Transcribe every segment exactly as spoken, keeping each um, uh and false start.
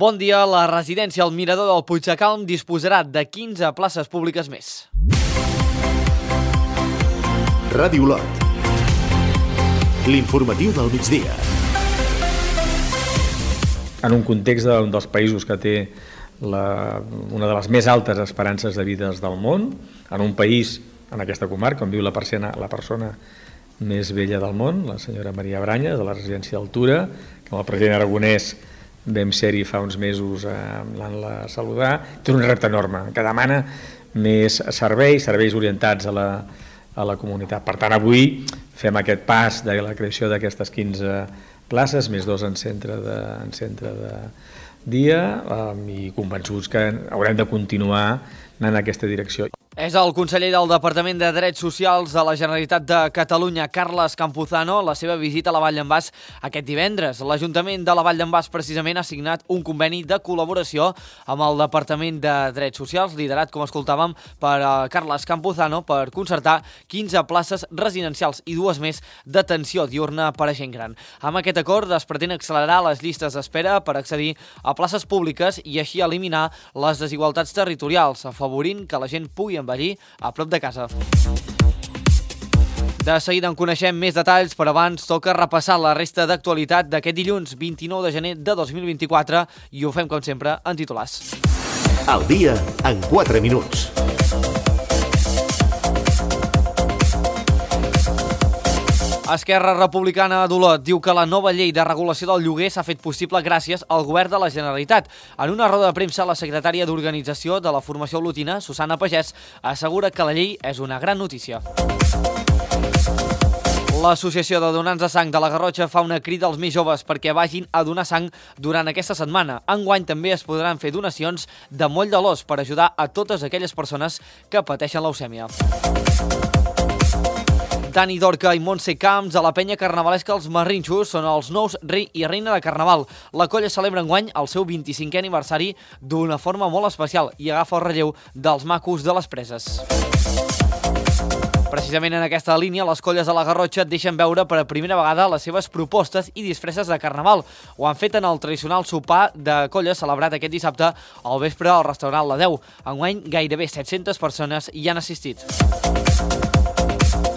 Bon dia, la residència al Mirador del Puigdecalm disposarà de quinze places públiques més. Ràdio Lot. L'informatiu del migdia. En un context d'un dels països que té la, una de les més altes esperances de vida del món, en un país, en aquesta comarca, on viu la persona, la persona més vella del món, la senyora Maria Branyes, de la residència d'Altura, que amb el president Aragonès vam ser-hi fa uns mesos anant-la a saludar. Té un repte enorme, que demana més serveis, serveis orientats a la, a la comunitat. Per tant, avui fem aquest pas de la creació d'aquestes quinze places, més dos en centre de, en centre de dia, i convençuts que haurem de continuar anant en aquesta direcció. És el conseller del Departament de Drets Socials de la Generalitat de Catalunya, Carles Campuzano, la seva visita a la Vall d'en Bas aquest divendres. L'Ajuntament de la Vall d'en Bas precisament ha signat un conveni de col·laboració amb el Departament de Drets Socials, liderat, com escoltàvem, per Carles Campuzano, per concertar quinze places residencials i dues més d'atenció diurna per a gent gran. Amb aquest acord es pretén accelerar les llistes d'espera per accedir a places públiques i així eliminar les desigualtats territorials, afavorint que la gent pugui envellir a prop de casa. De seguida en coneixem més detalls, però abans toca repassar la resta d'actualitat d'aquest dilluns vint-i-nou de gener de dos mil vint-i-quatre i ho fem, com sempre, en titulars. Al dia en quatre minuts. Esquerra Republicana d'Olot diu que la nova llei de regulació del lloguer s'ha fet possible gràcies al govern de la Generalitat. En una roda de premsa, la secretària d'Organització de la Formació Olotina, Susana Pagès, assegura que la llei és una gran notícia. L'Associació de Donants de Sang de la Garrotxa fa una crida als més joves perquè vagin a donar sang durant aquesta setmana. Enguany també es podran fer donacions de moll de l'os per ajudar a totes aquelles persones que pateixen leucèmia. Dani Dorca i Montse Camps, a la penya carnavalesca Els Marrinxos, són els nous rei i reina de Carnaval. La colla celebra enguany el seu vint-i-cinquè aniversari d'una forma molt especial i agafa el relleu dels macos de les preses. Precisament en aquesta línia, les colles de la Garrotxa deixen veure per a primera vegada les seves propostes i disfresses de Carnaval. Ho han fet en el tradicional sopar de colles celebrat aquest dissabte al vespre al restaurant La Deu. Enguany, gairebé set-centes persones hi han assistit.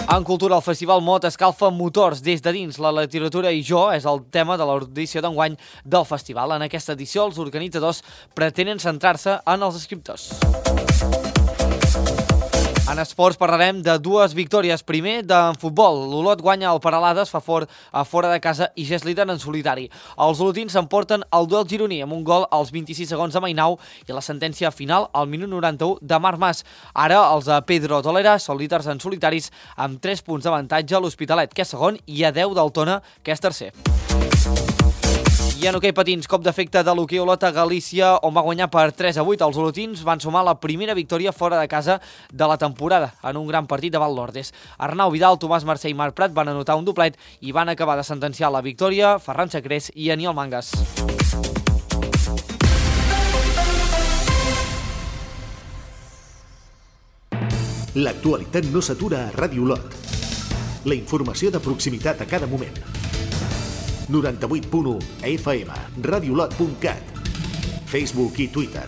En cultura, el Festival Mot escalfa motors des de dins. La literatura i jo és el tema de l'edició d'enguany del festival. En aquesta edició, els organitzadors pretenen centrar-se en els escriptors. En esports parlarem de dues victòries. Primer, en futbol. L'Olot guanya el Peralades, fa fort a fora de casa i ja és líder en solitari. Els olotins s'emporten el duel gironí amb un gol als vint-i-sis segons de Mainau i la sentència final al minut noranta-u de Marc Mas. Ara els de Pedro Tolera són líders en solitaris amb tres punts d'avantatge a l'Hospitalet, que és segon, i a deu del Tona, que és tercer. I en hoquei patins, cop d'efecte de l'hoquei Olot a Galícia, on va guanyar per tres a vuit. Els olotins van sumar la primera victòria fora de casa de la temporada, en un gran partit davant l'Ordes. Arnau Vidal, Tomàs Mercè i Marc Prat van anotar un doblet i van acabar de sentenciar la victòria Ferran Sacrés i Aniol Mangas. L'actualitat no s'atura a Ràdio Lot. La informació de proximitat a cada moment. noranta-vuit punt u F M, radiolot punt cat, Facebook i Twitter.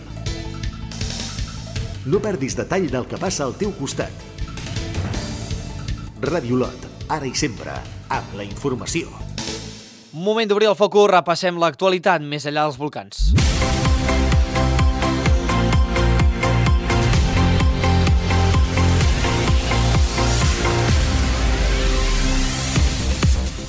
No perdis detall del que passa al teu costat. Ràdio Lot, ara i sempre, amb la informació. Moment d'obrir el focus, repassem l'actualitat més enllà dels volcans.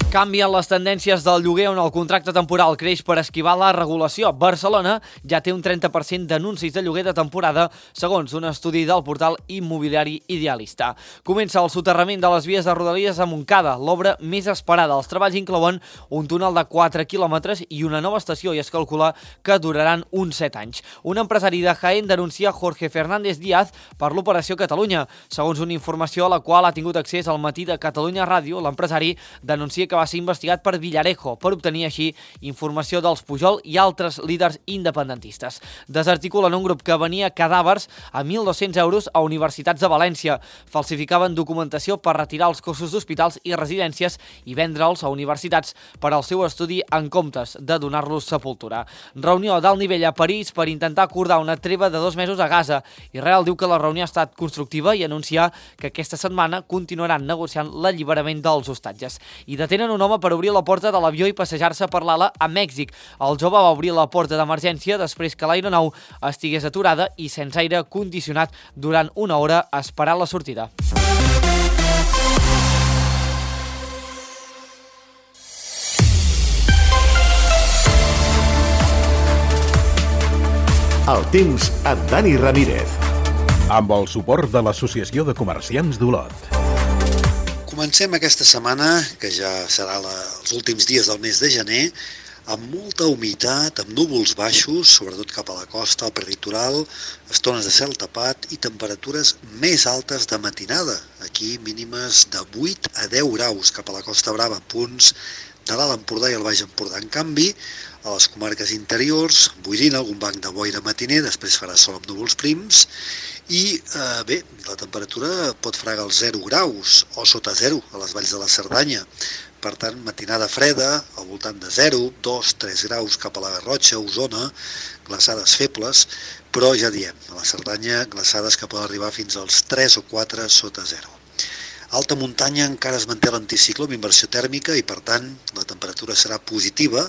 Canvien les tendències del lloguer on el contracte temporal creix per esquivar la regulació. Barcelona ja té un trenta per cent d'anuncis de lloguer de temporada, segons un estudi del portal immobiliari Idealista. Comença el soterrament de les vies de Rodalies a Montcada, l'obra més esperada. Els treballs inclouen un túnel de quatre quilòmetres i una nova estació i es calcula que duraran uns set anys. Un empresari de Jaén denuncia Jorge Fernández Díaz per l'Operació Catalunya. Segons una informació a la qual ha tingut accés al matí de Catalunya Ràdio, l'empresari denuncia que que va ser investigat per Villarejo per obtenir així informació dels Pujol i altres líders independentistes. Desarticulen un grup que venia cadàvers a mil dos-cents euros a universitats de València. Falsificaven documentació per retirar els cossos d'hospitals i residències i vendre'ls a universitats per al seu estudi en comptes de donar-los sepultura. Reunió d'alt nivell a París per intentar acordar una treva de dos mesos a Gaza. Israel diu que la reunió ha estat constructiva i anuncia que aquesta setmana continuaran negociant l'alliberament dels hostatges. I detenen un home per obrir la porta de l'avió i passejar-se per l'ala a Mèxic. El jove va obrir la porta d'emergència després que l'aeronau estigués aturada i sense aire condicionat durant una hora esperant la sortida. El temps amb Dani Ramírez. Amb el suport de l'Associació de Comerciants d'Olot. Comencem aquesta setmana, que ja serà la, els últims dies del mes de gener, amb molta humitat, amb núvols baixos, sobretot cap a la costa, al peritoral, estones de cel tapat i temperatures més altes de matinada. Aquí mínimes de vuit a deu graus cap a la Costa Brava, punts de l'Alt Empordà i el Baix Empordà. En canvi, a les comarques interiors, boirina, algun banc de boira matiner, després farà sol amb núvols prims, i eh, bé, la temperatura pot fregar els zero graus o sota zero a les valls de la Cerdanya. Per tant, matinada freda, al voltant de zero, dos, tres graus cap a la Garrotxa, Osona, glaçades febles, però ja diem, a la Cerdanya, glaçades que poden arribar fins als tres o quatre sota zero. Alta muntanya encara es manté l'anticicló amb inversió tèrmica i, per tant, la temperatura serà positiva,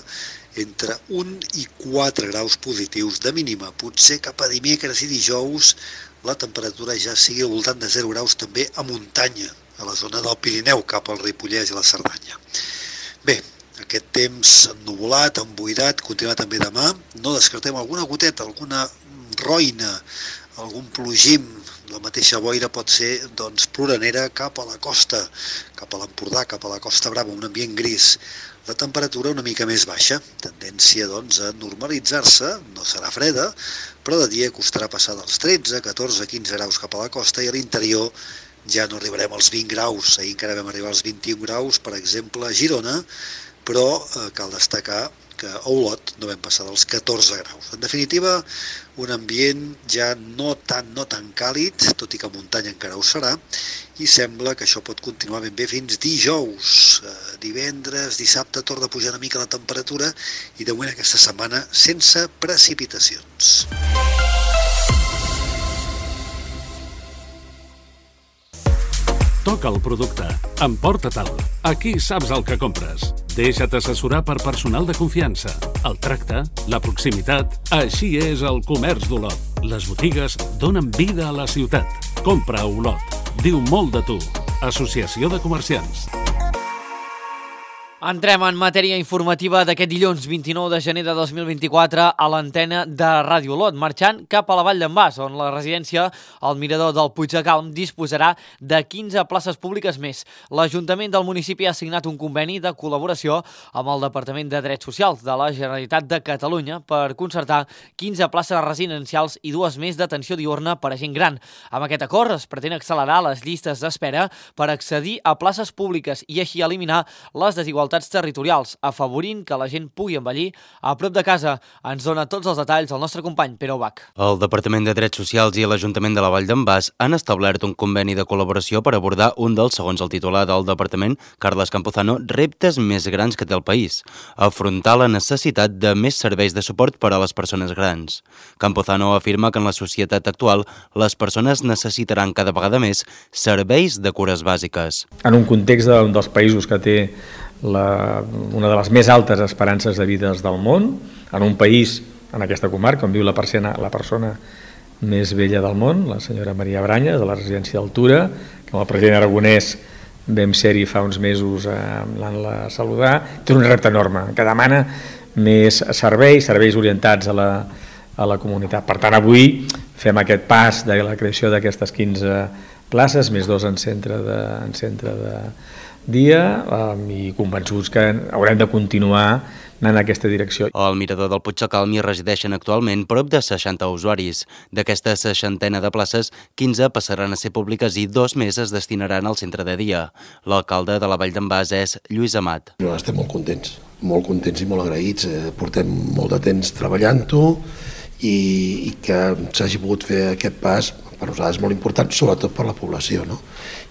entre un i quatre graus positius de mínima. Potser cap a dimecres i dijous la temperatura ja sigui al voltant de zero graus també a muntanya, a la zona del Pirineu, cap al Ripollès i la Cerdanya. Bé, aquest temps ennuvolat, emboirat, continua també demà. No descartem alguna goteta, alguna roina, algun plogim. La mateixa boira pot ser doncs, ploranera cap a la costa, cap a l'Empordà, cap a la Costa Brava, un ambient gris. La temperatura una mica més baixa, tendència doncs, a normalitzar-se, no serà freda, però de dia costarà passar dels tretze, catorze, quinze graus cap a la costa i a l'interior ja no arribarem als vint graus. Ahir encara vam arribar als vint-i-un graus, per exemple, a Girona, però eh, cal destacar que a Olot no vam passar dels catorze graus. En definitiva, un ambient ja no tan, no tan càlid, tot i que a muntanya encara ho serà, i sembla que això pot continuar ben bé fins dijous. Eh, divendres, dissabte, torna a pujar una mica la temperatura i de moment aquesta setmana sense precipitacions. Toca el producte, emporta-te'l. Aquí saps el que compres. Deixa't assessorar per personal de confiança. El tracte, la proximitat, així és el comerç d'Olot. Les botigues donen vida a la ciutat. Compra a Olot. Diu molt de tu. Associació de Comerciants. Entrem en matèria informativa d'aquest dilluns vint-i-nou de gener de dos mil vint-i-quatre a l'antena de Ràdio Olot, marxant cap a la Vall d'en Bas, on la residència, el mirador del Puig de Calm, disposarà de quinze places públiques més. L'Ajuntament del municipi ha signat un conveni de col·laboració amb el Departament de Drets Socials de la Generalitat de Catalunya per concertar quinze places residencials i dues més d'atenció diürna per a gent gran. Amb aquest acord es pretén accelerar les llistes d'espera per accedir a places públiques i així eliminar les desigualtats territorials, afavorint que la gent pugui envellir a prop de casa. Ens dona tots els detalls el nostre company Pere Ubach. El Departament de Drets Socials i l'Ajuntament de la Vall d'en Bas han establert un conveni de col·laboració per abordar un dels, segons el titular del Departament, Carles Campuzano, reptes més grans que té el país: afrontar la necessitat de més serveis de suport per a les persones grans. Campuzano afirma que en la societat actual les persones necessitaran cada vegada més serveis de cures bàsiques. En un context d'un dels països que té La, una de les més altes esperances de vida del món, en un país, en aquesta comarca, on viu la persona, la persona més vella del món, la senyora Maria Branyes, de la residència d'Altura, que amb el president Aragonès vam ser-hi fa uns mesos a anant-la a saludar. Té un repte enorme, que demana més serveis, serveis orientats a la, a la comunitat. Per tant, avui fem aquest pas de la creació d'aquestes quinze places, més dos en centre de, en centre de dia, um, i convençuts que haurem de continuar anar en aquesta direcció. Al mirador del Puigdecalm hi resideixen actualment prop de seixanta usuaris. D'aquesta seixantena de places, quinze passaran a ser públiques i dos més es destinaran al centre de dia. L'alcalde de la Vall d'en Bas és Lluís Amat. No, estem molt contents, molt contents i molt agraïts. Portem molt de temps treballant-ho i, i que s'hagi pogut fer aquest pas per nosaltres és molt important, sobretot per la població, no?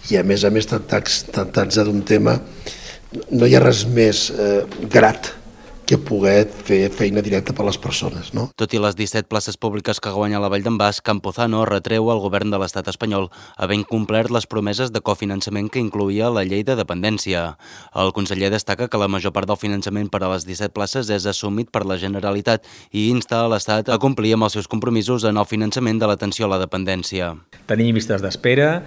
I a més a més, tractant-se d'un tema, no hi ha res més eh, grat que poder fer feina directa per a les persones, no? Tot i les disset places públiques que guanya la Vall d'en Bas, Campuzano retreu al govern de l'estat espanyol havent complert les promeses de cofinançament que incloïa la llei de dependència. El conseller destaca que la major part del finançament per a les disset places és assumit per la Generalitat i insta a l'Estat a complir amb els seus compromisos en el finançament de l'atenció a la dependència. Tenim llistes d'espera,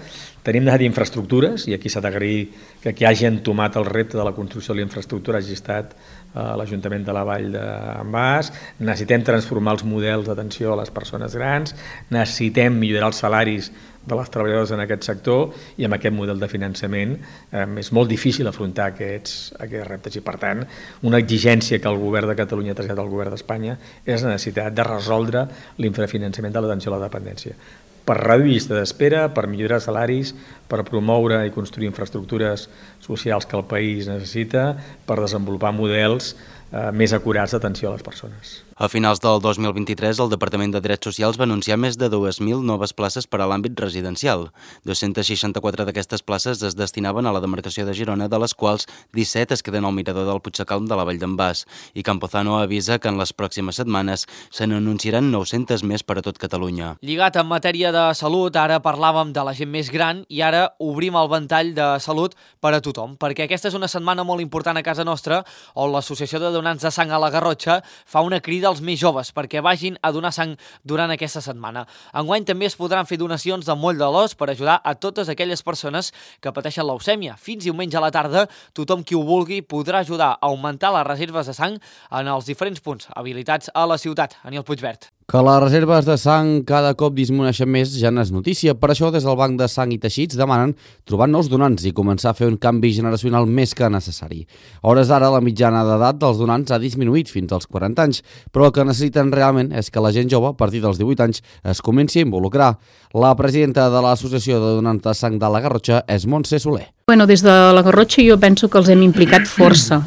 tenim necessitat d'infraestructures, i aquí s'ha d'agrair que qui hagi entomat el repte de la construcció de la infraestructura hagi estat a l'Ajuntament de la Vall d'en Bas. Necessitem transformar els models d'atenció a les persones grans, necessitem millorar els salaris de les treballadores en aquest sector i amb aquest model de finançament eh, és molt difícil afrontar aquests, aquests reptes i per tant una exigència que el govern de Catalunya ha traslladat al govern d'Espanya és la necessitat de resoldre l'infrafinançament de l'atenció a la dependència per reduir llista d'espera, per millorar salaris, per promoure i construir infraestructures socials que el país necessita, per desenvolupar models eh, més acurats d'atenció a les persones. A finals del dos mil vint-i-tres, el Departament de Drets Socials va anunciar més de dues mil noves places per a l'àmbit residencial. dos-centes seixanta-quatre d'aquestes places es destinaven a la demarcació de Girona, de les quals disset es queden al mirador del Puigdecalm de la Vall d'en Bas. I Campuzano avisa que en les pròximes setmanes se n'anunciaran nou-centes més per a tot Catalunya. Lligat en matèria de salut, ara parlàvem de la gent més gran i ara obrim el ventall de salut per a tothom, perquè aquesta és una setmana molt important a casa nostra on l'Associació de Donants de Sang a la Garrotxa fa una crida als més joves perquè vagin a donar sang durant aquesta setmana. Enguany també es podran fer donacions de moll de l'os per ajudar a totes aquelles persones que pateixen leucèmia. Fins diumenge a la tarda, tothom qui ho vulgui podrà ajudar a augmentar les reserves de sang en els diferents punts habilitats a la ciutat. Aniel Puigvert. Que les reserves de sang cada cop disminueixen més ja no és notícia. Per això, des del Banc de Sang i Teixits demanen trobar nous donants i començar a fer un canvi generacional més que necessari. A hores d'ara, la mitjana d'edat dels donants ha disminuït fins als quaranta anys, però el que necessiten realment és que la gent jove, a partir dels divuit anys, es comenci a involucrar. La presidenta de l'Associació de Donants de Sang de la Garrotxa és Montse Soler. Bueno, des de la Garrotxa jo penso que els hem implicat força.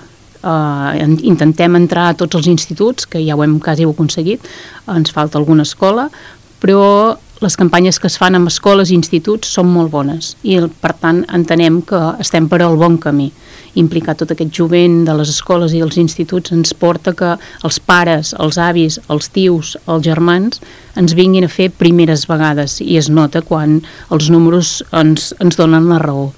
Uh, intentem entrar a tots els instituts, que ja ho hem quasi aconseguit, ens falta alguna escola, però les campanyes que es fan amb escoles i instituts són molt bones i per tant entenem que estem per al bon camí. Implicar tot aquest jovent de les escoles i els instituts ens porta que els pares, els avis, els tios, els germans ens vinguin a fer primeres vegades i es nota quan els números ens, ens donen la raó.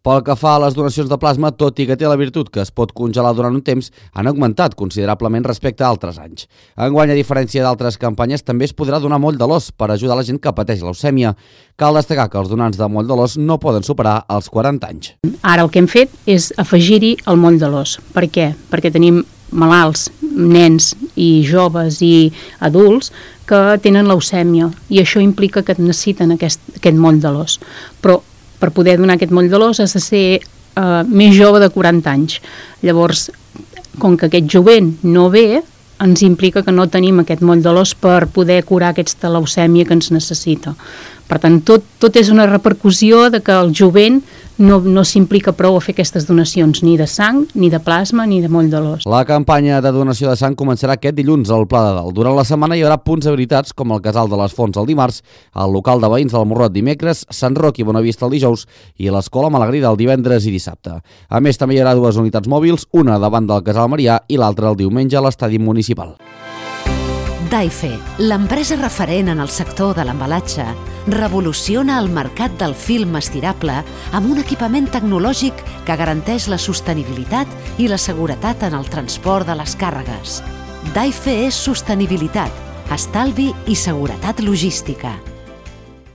Pel que fa a les donacions de plasma, tot i que té la virtut que es pot congelar durant un temps, han augmentat considerablement respecte a altres anys. Enguany, a diferència d'altres campanyes, també es podrà donar moll de l'os per ajudar la gent que pateix leucèmia. Cal destacar que els donants de moll de l'os no poden superar els quaranta anys. Ara el que hem fet és afegir-hi el moll de l'os. Per què? Perquè tenim malalts, nens i joves i adults que tenen leucèmia i això implica que necessiten aquest, aquest moll de l'os. Però per poder donar aquest moll de l'os has de ser uh, més jove de quaranta anys. Llavors, com que aquest jovent no ve, ens implica que no tenim aquest moll de l'os per poder curar aquesta leucèmia que ens necessita. Per tant, tot, tot és una repercussió de que el jovent no, no s'implica prou a fer aquestes donacions, ni de sang, ni de plasma, ni de moll de l'os. La campanya de donació de sang començarà aquest dilluns al Pla de Dalt. Durant la setmana hi haurà punts habilitats com el Casal de les Fonts el dimarts, el local de veïns del Morrot dimecres, Sant Roc i Bonavista el dijous i l'Escola Malagrida el divendres i dissabte. A més, també hi haurà dues unitats mòbils, una davant del Casal Marià i l'altra el diumenge a l'estadi municipal. Daife, l'empresa referent en el sector de l'embalatge, revoluciona el mercat del film estirable amb un equipament tecnològic que garanteix la sostenibilitat i la seguretat en el transport de les càrregues. Daife és sostenibilitat, estalvi i seguretat logística.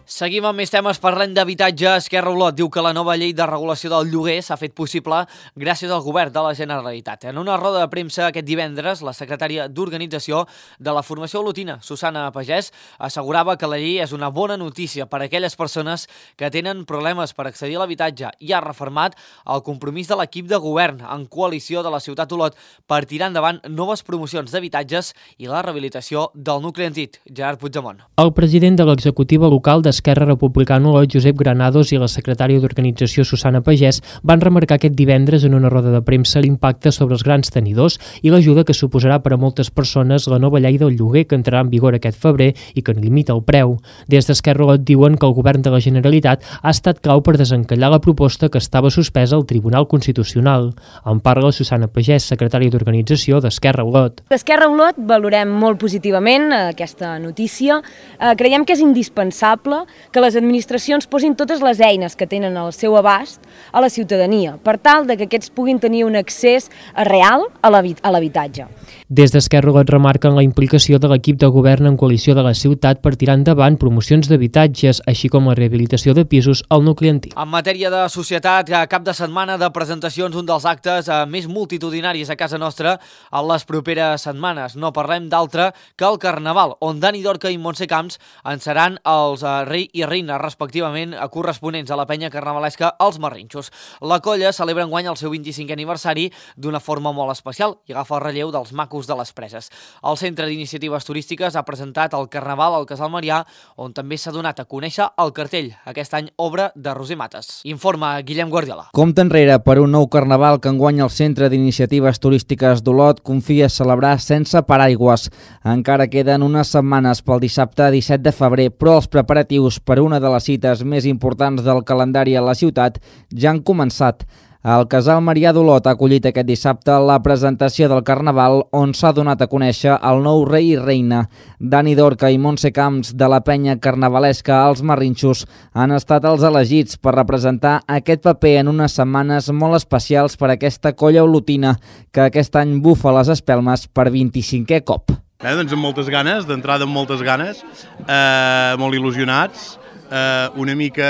Seguim amb més temes, parlem d'habitatge. Esquerra Olot diu que la nova llei de regulació del lloguer s'ha fet possible gràcies al govern de la Generalitat. En una roda de premsa aquest divendres, la secretària d'Organització de la formació olotina, Susana Pagès, assegurava que la llei és una bona notícia per a aquelles persones que tenen problemes per accedir a l'habitatge i ha refermat el compromís de l'equip de govern en coalició de la ciutat Olot per tirar endavant noves promocions d'habitatges i la rehabilitació del nucli antic. Gerard Puigdemont. El president de l'executiva local de Esquerra Republicana Olot, Josep Granados, i la secretària d'Organització, Susana Pagès, van remarcar aquest divendres en una roda de premsa l'impacte sobre els grans tenidors i l'ajuda que suposarà per a moltes persones la nova llei del lloguer que entrarà en vigor aquest febrer i que no limita el preu. Des d'Esquerra Olot diuen que el govern de la Generalitat ha estat clau per desencallar la proposta que estava suspesa al Tribunal Constitucional. En parla Susana Pagès, secretària d'Organització d'Esquerra Olot. D'Esquerra Olot valorem molt positivament aquesta notícia. Eh, creiem que és indispensable que les administracions posin totes les eines que tenen al seu abast a la ciutadania, per tal de que aquests puguin tenir un accés real a l'habitatge. Des d'Esquerra Olot remarquen la implicació de l'equip de govern en coalició de la ciutat per tirar endavant promocions d'habitatges, així com la rehabilitació de pisos al nucli antic. En matèria de societat, cap de setmana de presentacions, un dels actes més multitudinaris a casa nostra en les properes setmanes. No parlem d'altre que el Carnaval, on Dani Dorca i Montse Camps en seran els rei i reina, respectivament, corresponents a la penya carnavalesca Els Marrinxos. La colla celebra enguany el seu vint-i-cinquè aniversari d'una forma molt especial i agafa el relleu dels macos de les Preses. El Centre d'Iniciatives Turístiques ha presentat el Carnaval al Casal Marià, on també s'ha donat a conèixer el cartell, aquest any obra de Roser Mates. Informa Guillem Guardiola. Compte enrere per un nou Carnaval que enguany el Centre d'Iniciatives Turístiques d'Olot confia celebrar sense paraigües. Encara queden unes setmanes pel dissabte disset de febrer, però els preparatius per una de les cites més importants del calendari a la ciutat ja han començat. El Casal Marià d'Olot ha acollit aquest dissabte la presentació del Carnaval, on s'ha donat a conèixer el nou rei i reina. Dani Dorca i Montse Camps, de la penya carnavalesca Els Marrinxos, han estat els elegits per representar aquest paper en unes setmanes molt especials per a aquesta colla olotina, que aquest any bufa les espelmes per vint-i-cinquè cop. Eh, doncs amb moltes ganes, d'entrada amb moltes ganes, eh, molt il·lusionats, eh, una mica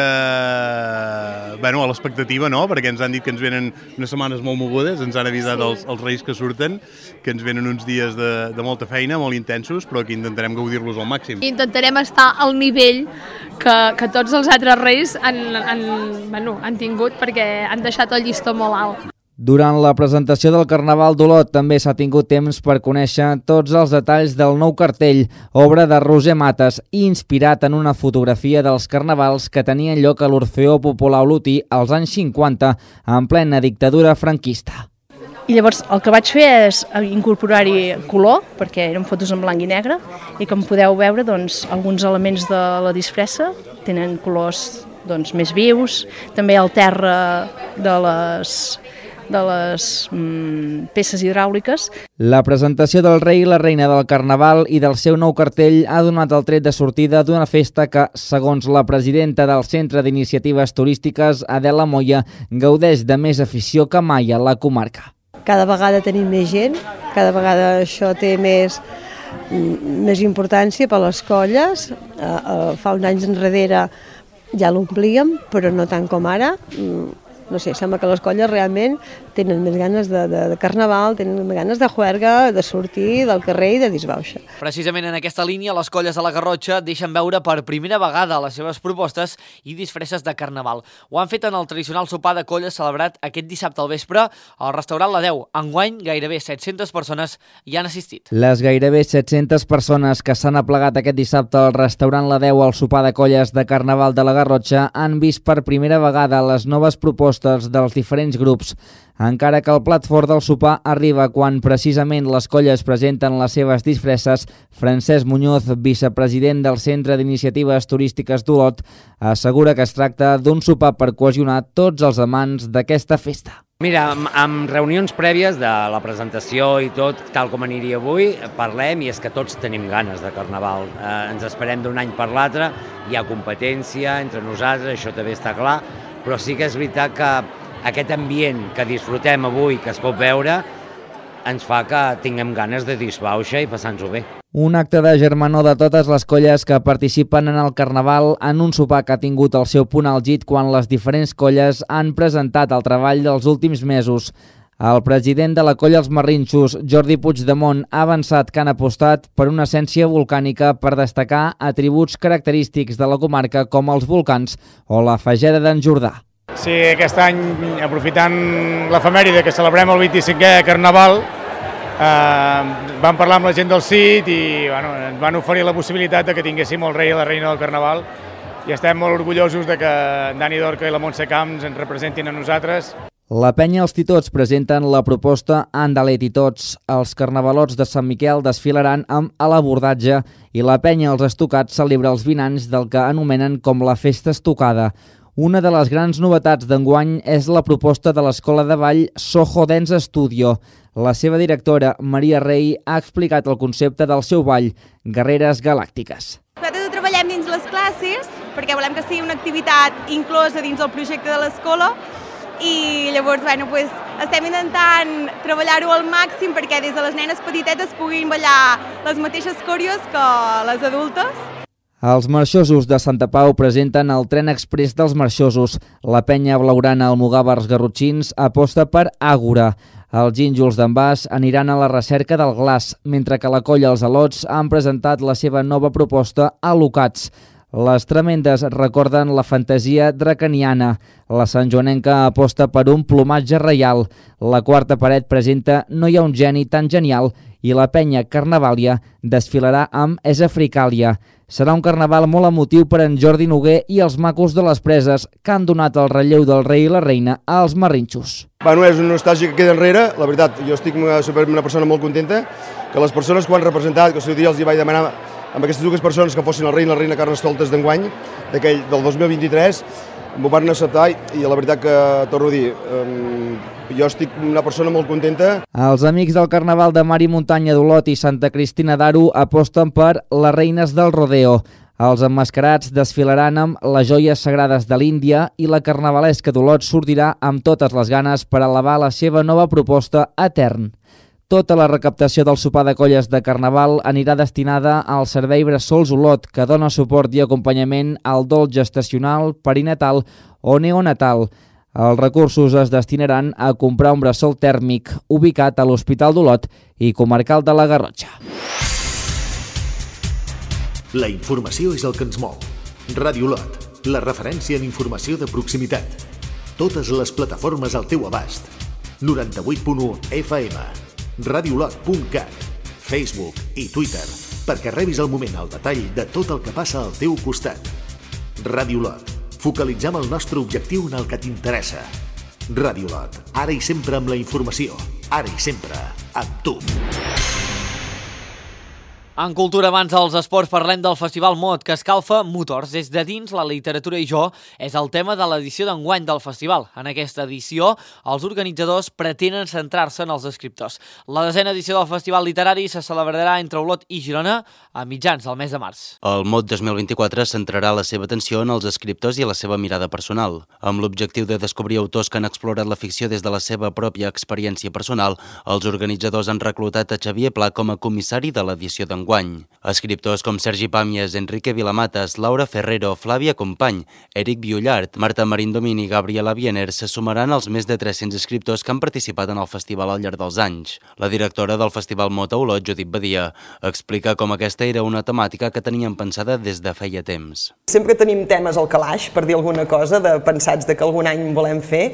bueno, a l'expectativa, no? Perquè ens han dit que ens venen unes setmanes molt mogudes, ens han avisat sí. els, els reis que surten, que ens venen uns dies de, de molta feina, molt intensos, però que intentarem gaudir-los al màxim. Intentarem estar al nivell que, que tots els altres reis han, han, bueno, han tingut, perquè han deixat el llistó molt alt. Durant la presentació del Carnaval d'Olot també s'ha tingut temps per conèixer tots els detalls del nou cartell, obra de Roser Mates, inspirat en una fotografia dels carnavals que tenien lloc a l'Orfeó Popular Olotí als anys cinquanta, en plena dictadura franquista. I llavors el que vaig fer és incorporar-hi color, perquè eren fotos en blanc i negre, i com podeu veure, doncs, alguns elements de la disfressa tenen colors doncs, més vius, també el terra de les... de les mm, peces hidràuliques. La presentació del rei i la reina del Carnaval i del seu nou cartell ha donat el tret de sortida d'una festa que, segons la presidenta del Centre d'Iniciatives Turístiques, Adela Moya, gaudeix de més afició que mai a la comarca. Cada vegada tenim més gent, cada vegada això té més, més importància per a les colles. Fa uns anys enrere ja l'omplíem, però no tant com ara. No sé, sembla que les colles realment tenen més ganes de, de, de carnaval, tenen més ganes de juerga, de sortir del carrer i de disbauxa. Precisament en aquesta línia, les colles de la Garrotxa deixen veure per primera vegada les seves propostes i disfresses de carnaval. Ho han fet en el tradicional sopar de colles celebrat aquest dissabte al vespre al restaurant La Deu. Enguany, gairebé set-centes persones hi han assistit. Les gairebé set-centes persones que s'han aplegat aquest dissabte al restaurant La Deu al sopar de colles de carnaval de la Garrotxa han vist per primera vegada les noves propostes dels diferents grups, encara que el plat fort del sopar arriba quan precisament les colles presenten les seves disfresses. Francesc Muñoz, vicepresident del Centre d'Iniciatives Turístiques d'Olot, assegura que es tracta d'un sopar per cohesionar tots els amants d'aquesta festa. Mira, amb, amb reunions prèvies de la presentació i tot, tal com aniria avui, parlem i és que tots tenim ganes de Carnaval. Eh, ens esperem d'un any per l'altre, hi ha competència entre nosaltres, això també està clar, però sí que és veritat que aquest ambient que disfrutem avui, que es pot veure, ens fa que tinguem ganes de disbauxa i passar-nos-ho bé. Un acte de germanor de totes les colles que participen en el Carnaval en un sopar que ha tingut el seu punt àlgid quan les diferents colles han presentat el treball dels últims mesos. El president de la colla Els Marrinxos, Jordi Puigdemont, ha avançat que han apostat per una essència volcànica per destacar atributs característics de la comarca com els volcans o la Fageda d'en Jordà. Sí, aquest any, aprofitant l'efemèride que celebrem el vint-i-cinquè Carnaval, eh, vam parlar amb la gent del C I T i bueno, ens van oferir la possibilitat de que tinguéssim el rei i la reina del Carnaval i estem molt orgullosos de que en Dani Dorca i la Montse Camps ens representin a nosaltres. La penya Els Titots presenten la proposta Andale Titots. Els carnavalots de Sant Miquel desfilaran amb a l'abordatge i la penya Els Estocats celebra els vint anys del que anomenen com la Festa Estocada. Una de les grans novetats d'enguany és la proposta de l'escola de ball Soho Dance Studio. La seva directora, Maria Rey, ha explicat el concepte del seu ball, Guerreres Galàctiques. Nosaltres ho treballem dins les classes perquè volem que sigui una activitat inclosa dins el projecte de l'escola i llavors bueno, pues, estem intentant treballar-ho al màxim perquè des de les nenes petitetes puguin ballar les mateixes còreos que les adultes. Els marxosos de Santa Pau presenten el tren express dels marxosos. La penya blaugrana Almogàvers Garrotxins aposta per Àgora. Els gínjols d'en Bas aniran a la recerca del glaç, mentre que la colla Els Alots han presentat la seva nova proposta Alocats. Les tremendes recorden la fantasia dracaniana. La santjoanenca aposta per un plomatge reial. La quarta paret presenta No hi ha un geni tan genial i la penya Carnavàlia desfilarà amb És Africàlia. Serà un carnaval molt emotiu per en Jordi Noguer i els macos de les Preses, que han donat el relleu del rei i la reina als Marrinxos. Bueno, és una nostàlgia que queda enrere. La veritat, jo estic una, una persona molt contenta que les persones que ho han representat, que el seu dia els hi vaig demanar amb aquestes dues persones que fossin el rei i la reina Carnestoltes d'enguany, d'aquell del dos mil vint-i-tres, m'ho van acceptar i la veritat que, torno a dir, eh, jo estic una persona molt contenta. Els amics del Carnaval de Mar i Muntanya d'Olot i Santa Cristina d'Aro aposten per les reines del rodeo. Els emmascarats desfilaran amb les joies sagrades de l'Índia i la carnavalesca d'Olot sortirà amb totes les ganes per elevar la seva nova proposta Etern. Tota la recaptació del sopar de colles de Carnaval anirà destinada al Servei Bressols Olot, que dona suport i acompanyament al dol gestacional, perinatal o neonatal. Els recursos es destinaran a comprar un bressol tèrmic ubicat a l'Hospital d'Olot i Comarcal de la Garrotxa. La informació és el que ens mou. Ràdio Olot, la referència en informació de proximitat. Totes les plataformes al teu abast. noranta-vuit punt u F M. radiolot punt cat, Facebook i Twitter, perquè rebis al moment el detall de tot el que passa al teu costat. Ràdio Olot, focalitzem el nostre objectiu en el que t'interessa. Ràdio Olot, ara i sempre amb la informació, ara i sempre amb tu. En cultura, abans dels esports, parlem del Festival Mot, que escalfa motors. Des de dins, la literatura i jo és el tema de l'edició d'enguany del festival. En aquesta edició, els organitzadors pretenen centrar-se en els escriptors. La desena edició del Festival Literari se celebrarà entre Olot i Girona a mitjans del mes de març. El Mot dos mil vint-i-quatre centrarà la seva atenció en els escriptors i la seva mirada personal. Amb l'objectiu de descobrir autors que han explorat la ficció des de la seva pròpia experiència personal, els organitzadors han reclutat a Xavier Pla com a comissari de l'edició d'enguany. Guany. Escriptors com Sergi Pàmies, Enrique Vilamatas, Laura Ferrero, Flàvia Company, Eric Viollart, Marta Marindomini i Gabriela Biener se sumaran als més de tres-cents escriptors que han participat en el festival al llarg dels anys. La directora del Festival Mot a Olot, Judit Badia, explica com aquesta era una temàtica que tenien pensada des de feia temps. Sempre tenim temes al calaix, per dir alguna cosa, de pensats de que algun any volem fer,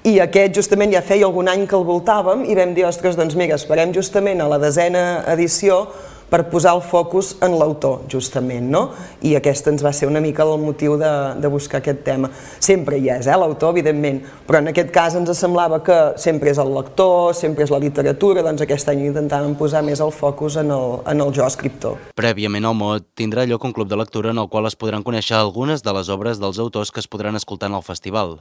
i aquest justament ja feia algun any que el voltàvem i vam dir, ostres, doncs mira, esperem justament a la desena edició per posar el focus en l'autor, justament, no? I aquest ens va ser una mica el motiu de, de buscar aquest tema. Sempre hi és, eh, l'autor, evidentment, però en aquest cas ens semblava que sempre és el lector, sempre és la literatura, doncs aquest any intentàvem posar més el focus en el, en el jo escriptor. Prèviament al Mot tindrà lloc un club de lectura en el qual es podran conèixer algunes de les obres dels autors que es podran escoltar en el festival.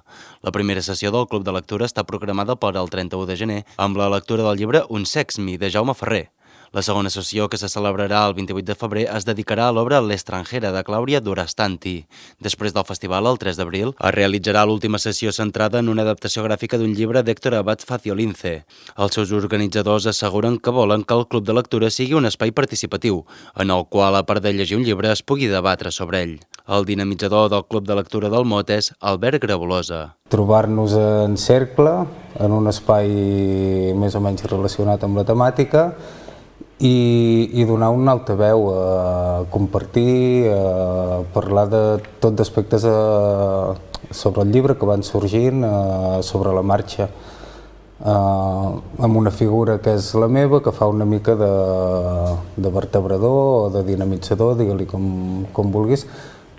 La primera sessió del club de lectura està programada per al trenta-u de gener amb la lectura del llibre Un sex mi, de Jaume Ferrer. La segona sessió, que se celebrarà el vint-i-vuit de febrer, es dedicarà a l'obra L'estrangera de Clàudia Durastanti. Després del festival, el tres d'abril, es realitzarà l'última sessió centrada en una adaptació gràfica d'un llibre d'Héctor Abad Faciolince. Els seus organitzadors asseguren que volen que el Club de Lectura sigui un espai participatiu, en el qual, a part de llegir un llibre, es pugui debatre sobre ell. El dinamitzador del Club de Lectura del Mot és Albert Grabolosa. Trobar-nos en cercle, en un espai més o menys relacionat amb la temàtica i, i donar un altaveu, a compartir, a parlar de tot d'aspectes sobre el llibre que van sorgint, sobre la marxa, amb una figura que és la meva, que fa una mica de, de vertebrador o de dinamitzador, digue-li com, com vulguis,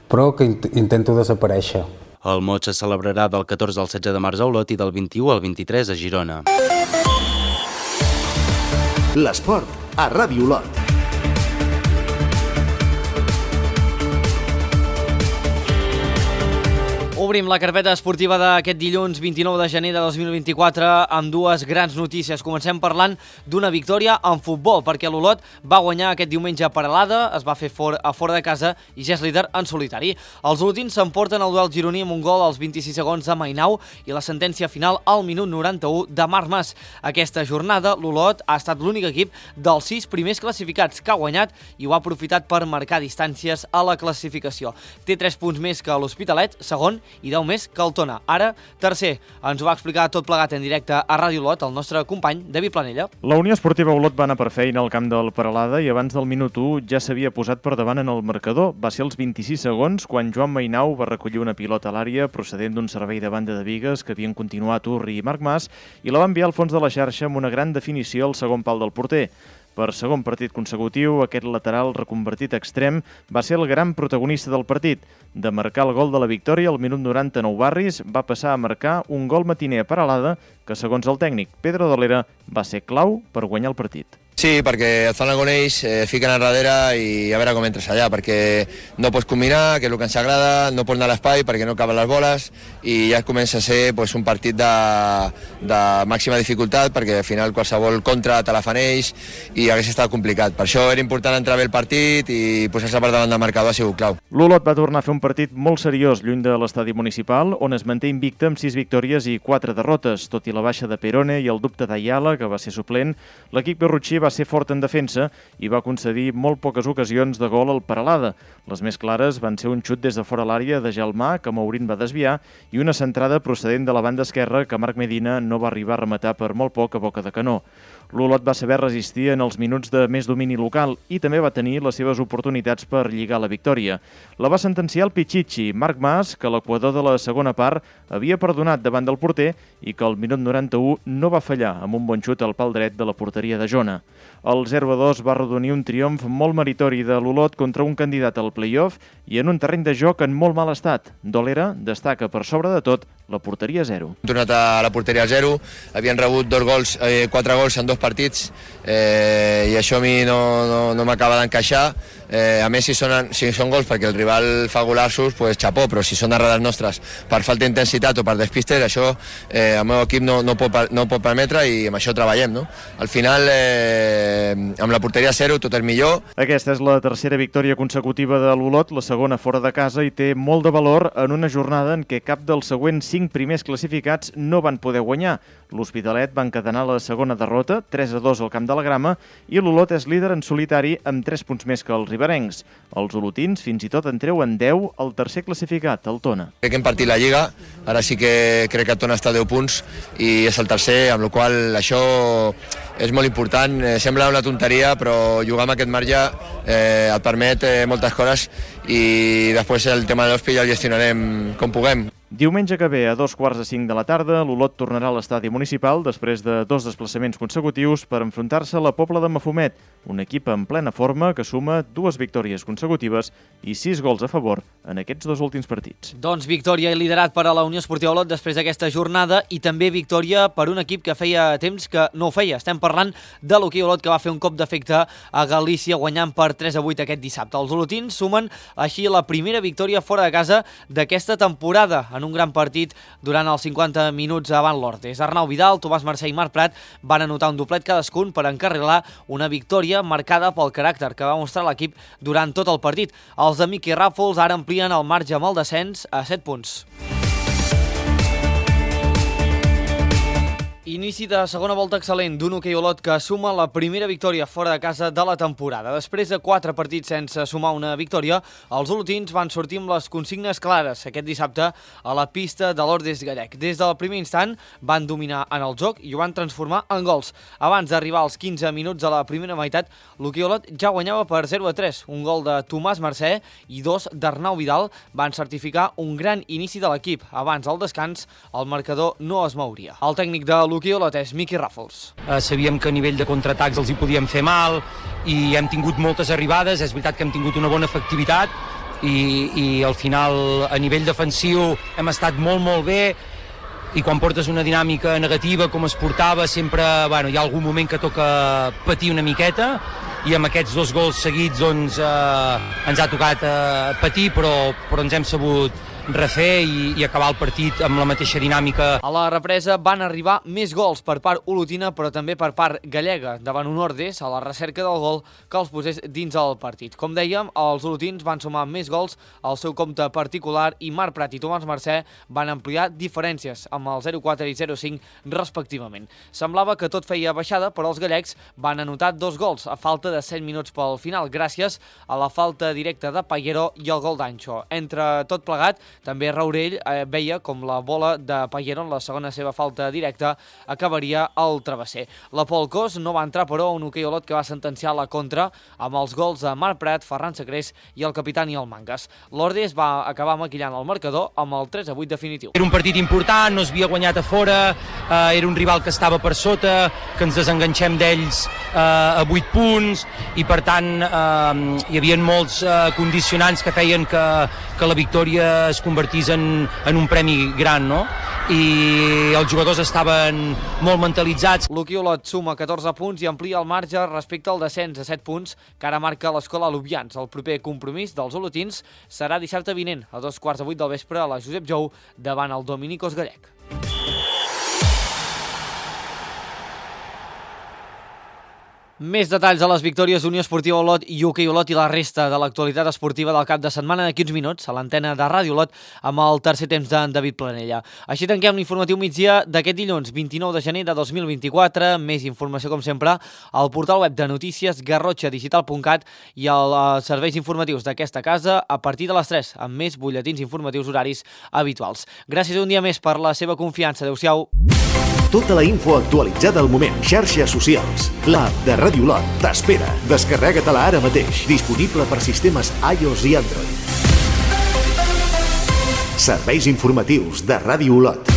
però que intento desaparèixer. El Mot se celebrarà del catorze al setze de març a Olot i del vint-i-u al vint-i-tres a Girona. L'esport a Ràdio Olot. Obrim la carpeta esportiva d'aquest dilluns vint-i-nou de gener de dos mil vint-i-quatre amb dues grans notícies. Comencem parlant d'una victòria en futbol, perquè l'Olot va guanyar aquest diumenge a Peralada, es va fer fora, a fora de casa i ja és líder en solitari. Els olotins s'emporten el duel gironí amb un gol als vint-i-sis segons de Mainau i la sentència final al minut noranta-u de Marc Mas. Aquesta jornada l'Olot ha estat l'únic equip dels sis primers classificats que ha guanyat i ho ha aprofitat per marcar distàncies a la classificació. Té tres punts més que l'Hospitalet, segon, i deu més que el Tona. Ara, tercer. Ens ho va explicar tot plegat en directe a Ràdio Olot el nostre company David Planella. La Unió Esportiva Olot va anar per feina al camp del Peralada i abans del minut u ja s'havia posat per davant en el marcador. Va ser als vint-i-sis segons quan Joan Mainau va recollir una pilota a l'àrea procedent d'un servei de banda de bigues que havien continuat Urri i Marc Mas i la va enviar al fons de la xarxa amb una gran definició al segon pal del porter. Per segon partit consecutiu, aquest lateral reconvertit extrem va ser el gran protagonista del partit. De marcar el gol de la victòria al minut noranta-nou Barris, va passar a marcar un gol matiner a Peralada que, segons el tècnic Pedro Dolera, va ser clau per guanyar el partit. Sí, perquè et fan el goneix, eh, fiquen enrere i a veure com entres allà, perquè no pots combinar, que és el que ens agrada, no pots anar a l'espai perquè no caben les boles i ja comença a ser pues, un partit de, de màxima dificultat perquè al final qualsevol contra te la fan ells i hagués estat complicat. Per això era important entrar bé el partit i posar-se per davant del marcador ha sigut clau. L'Olot va tornar a fer un partit molt seriós lluny de l'estadi municipal, on es manté invicte amb sis victòries i quatre derrotes. Tot i la baixa de Perone i el dubte d'Ayala, que va ser suplent, l'equip berrutxí va ser fort en defensa i va concedir molt poques ocasions de gol al Peralada. Les més clares van ser un xut des de fora l'àrea de Gelmà, que Maurín va desviar, i una centrada procedent de la banda esquerra que Marc Medina no va arribar a rematar per molt poc a boca de canó. L'Olot va saber resistir en els minuts de més domini local i també va tenir les seves oportunitats per lligar la victòria. La va sentenciar el Pichichi, Marc Mas, que l'equador de la segona part havia perdonat davant del porter i que al minut noranta-u no va fallar amb un bon xut al pal dret de la porteria de Jona. El zero a dos va arrodonir un triomf molt meritori de l'Olot contra un candidat al play-off i en un terreny de joc en molt mal estat. Dolera destaca per sobre de tot la porteria zero. Hem tornat a la porteria zero, havien rebut dos gols, eh, quatre gols en dos partits eh, i això a mi no, no, no m'acaba d'encaixar. Eh, a més, si són, si són gols perquè el rival fa golassos, pues xapó, però si són errades nostres per falta d'intensitat o per despistes, això eh, el meu equip no, no, pot, no pot permetre i amb això treballem. No? Al final, eh, amb la porteria zero, tot és millor. Aquesta és la tercera victòria consecutiva de l'Olot, la segona fora de casa, i té molt de valor en una jornada en què cap dels següents cinc primers classificats no van poder guanyar. L'Hospitalet va encadenar la segona derrota, tres a dos al Camp de la Grama, i l'Olot és líder en solitari amb tres punts més que els riberencs. Els olotins fins i tot en treuen deu al tercer classificat, el Tona. Crec que hem partit la Lliga, ara sí que crec que el Tona està a deu punts i és el tercer, amb la qual cosa això és molt important. Eh, sembla una tonteria, però jugar amb aquest marge eh, et permet eh, moltes coses i després el tema de l'Hospi ja el gestionarem com puguem. Diumenge que ve, a dos quarts de cinc de la tarda, l'Olot tornarà a l'estadi municipal després de dos desplaçaments consecutius per enfrontar-se a la Pobla de Mafumet, un equip en plena forma que suma dues victòries consecutives i sis gols a favor en aquests dos últims partits. Doncs victòria i liderat per a la Unió Esportiva Olot després d'aquesta jornada i també victòria per un equip que feia temps que no ho feia. Estem parlant de l'Hoquei Olot, que va fer un cop d'efecte a Galícia guanyant per tres a vuit aquest dissabte. Els olotins sumen així la primera victòria fora de casa d'aquesta temporada en en un gran partit durant els cinquanta minuts avant l'Ordes. Arnau Vidal, Tomàs Mercè i Marc Prat van anotar un doblet cadascun per encarrilar una victòria marcada pel caràcter que va mostrar l'equip durant tot el partit. Els de Miqui Ràfols ara amplien el marge amb el descens a set punts. Inici de segona volta excel·lent d'un hoquei Olot que suma la primera victòria fora de casa de la temporada. Després de quatre partits sense sumar una victòria, els olotins van sortir amb les consignes clares aquest dissabte a la pista de l'Ordes Gallec. Des del primer instant van dominar en el joc i ho van transformar en gols. Abans d'arribar als quinze minuts de la primera meitat, l'hoquei Olot ja guanyava per zero a tres. Un gol de Tomàs Mercè i dos d'Arnau Vidal van certificar un gran inici de l'equip. Abans del descans, el marcador no es mouria. El tècnic de l'hoquei Olot és Miqui Ràfols. Uh, sabíem que a nivell de contraatacs els hi podíem fer mal i hem tingut moltes arribades, és veritat que hem tingut una bona efectivitat i, i al final a nivell defensiu hem estat molt molt bé i quan portes una dinàmica negativa com es portava sempre bueno, hi ha algun moment que toca patir una miqueta i amb aquests dos gols seguits doncs, eh, ens ha tocat eh, patir però, però ens hem sabut refer i, i acabar el partit amb la mateixa dinàmica. A la represa van arribar més gols per part olotina però també per part gallega davant un Ordes a la recerca del gol que els posés dins el partit. Com dèiem, els olotins van sumar més gols al seu compte particular i Marc Prat i Tomàs Mercè van ampliar diferències amb el zero quatre i zero cinc respectivament. Semblava que tot feia baixada però els gallecs van anotar dos gols a falta de set minuts pel final gràcies a la falta directa de Payero i el gol d'Anxo. Entre tot plegat, també Raurell eh, veia com la bola de Payero en la segona seva falta directa acabaria al travesser. La Pol Cos no va entrar però un hoquei Olot que va sentenciar la contra amb els gols de Marc Prat, Ferran Sacrés i el capità Niel Mangas. L'Ordes va acabar maquillant el marcador amb el tres a vuit definitiu. Era un partit important, no s'havia guanyat a fora, eh, era un rival que estava per sota, que ens desenganxem d'ells eh, a vuit punts i per tant eh, hi havia molts eh, condicionants que feien que, que la victòria es convertís en, en un premi gran, no? I els jugadors estaven molt mentalitzats. L'hoquei Olot suma catorze punts i amplia el marge respecte al descens a set punts que ara marca l'Escola Lubians. El proper compromís dels olotins serà dissabte vinent a dos quarts de vuit del vespre a la Josep Jou davant el Dominicos Gallec. Més detalls de les victòries d'Unió Esportiva Olot i hoquei Olot i la resta de l'actualitat esportiva del cap de setmana d'aquí uns minuts a l'antena de Ràdio Olot amb el tercer temps d'en David Planella. Així tanquem l'informatiu migdia d'aquest dilluns vint-i-nou de gener de dos mil vint-i-quatre. Més informació com sempre al portal web de notícies garrotxa digital punt cat i als serveis informatius d'aquesta casa a partir de les tres amb més butlletins informatius horaris habituals. Gràcies un dia més per la seva confiança. Adéu-siau. Tota la info actualitzada al moment. Xarxes socials. L'app de Ràdio Olot t'espera. Descarrega-te-la ara mateix. Disponible per sistemes iOS i Android. Serveis informatius de Ràdio Olot.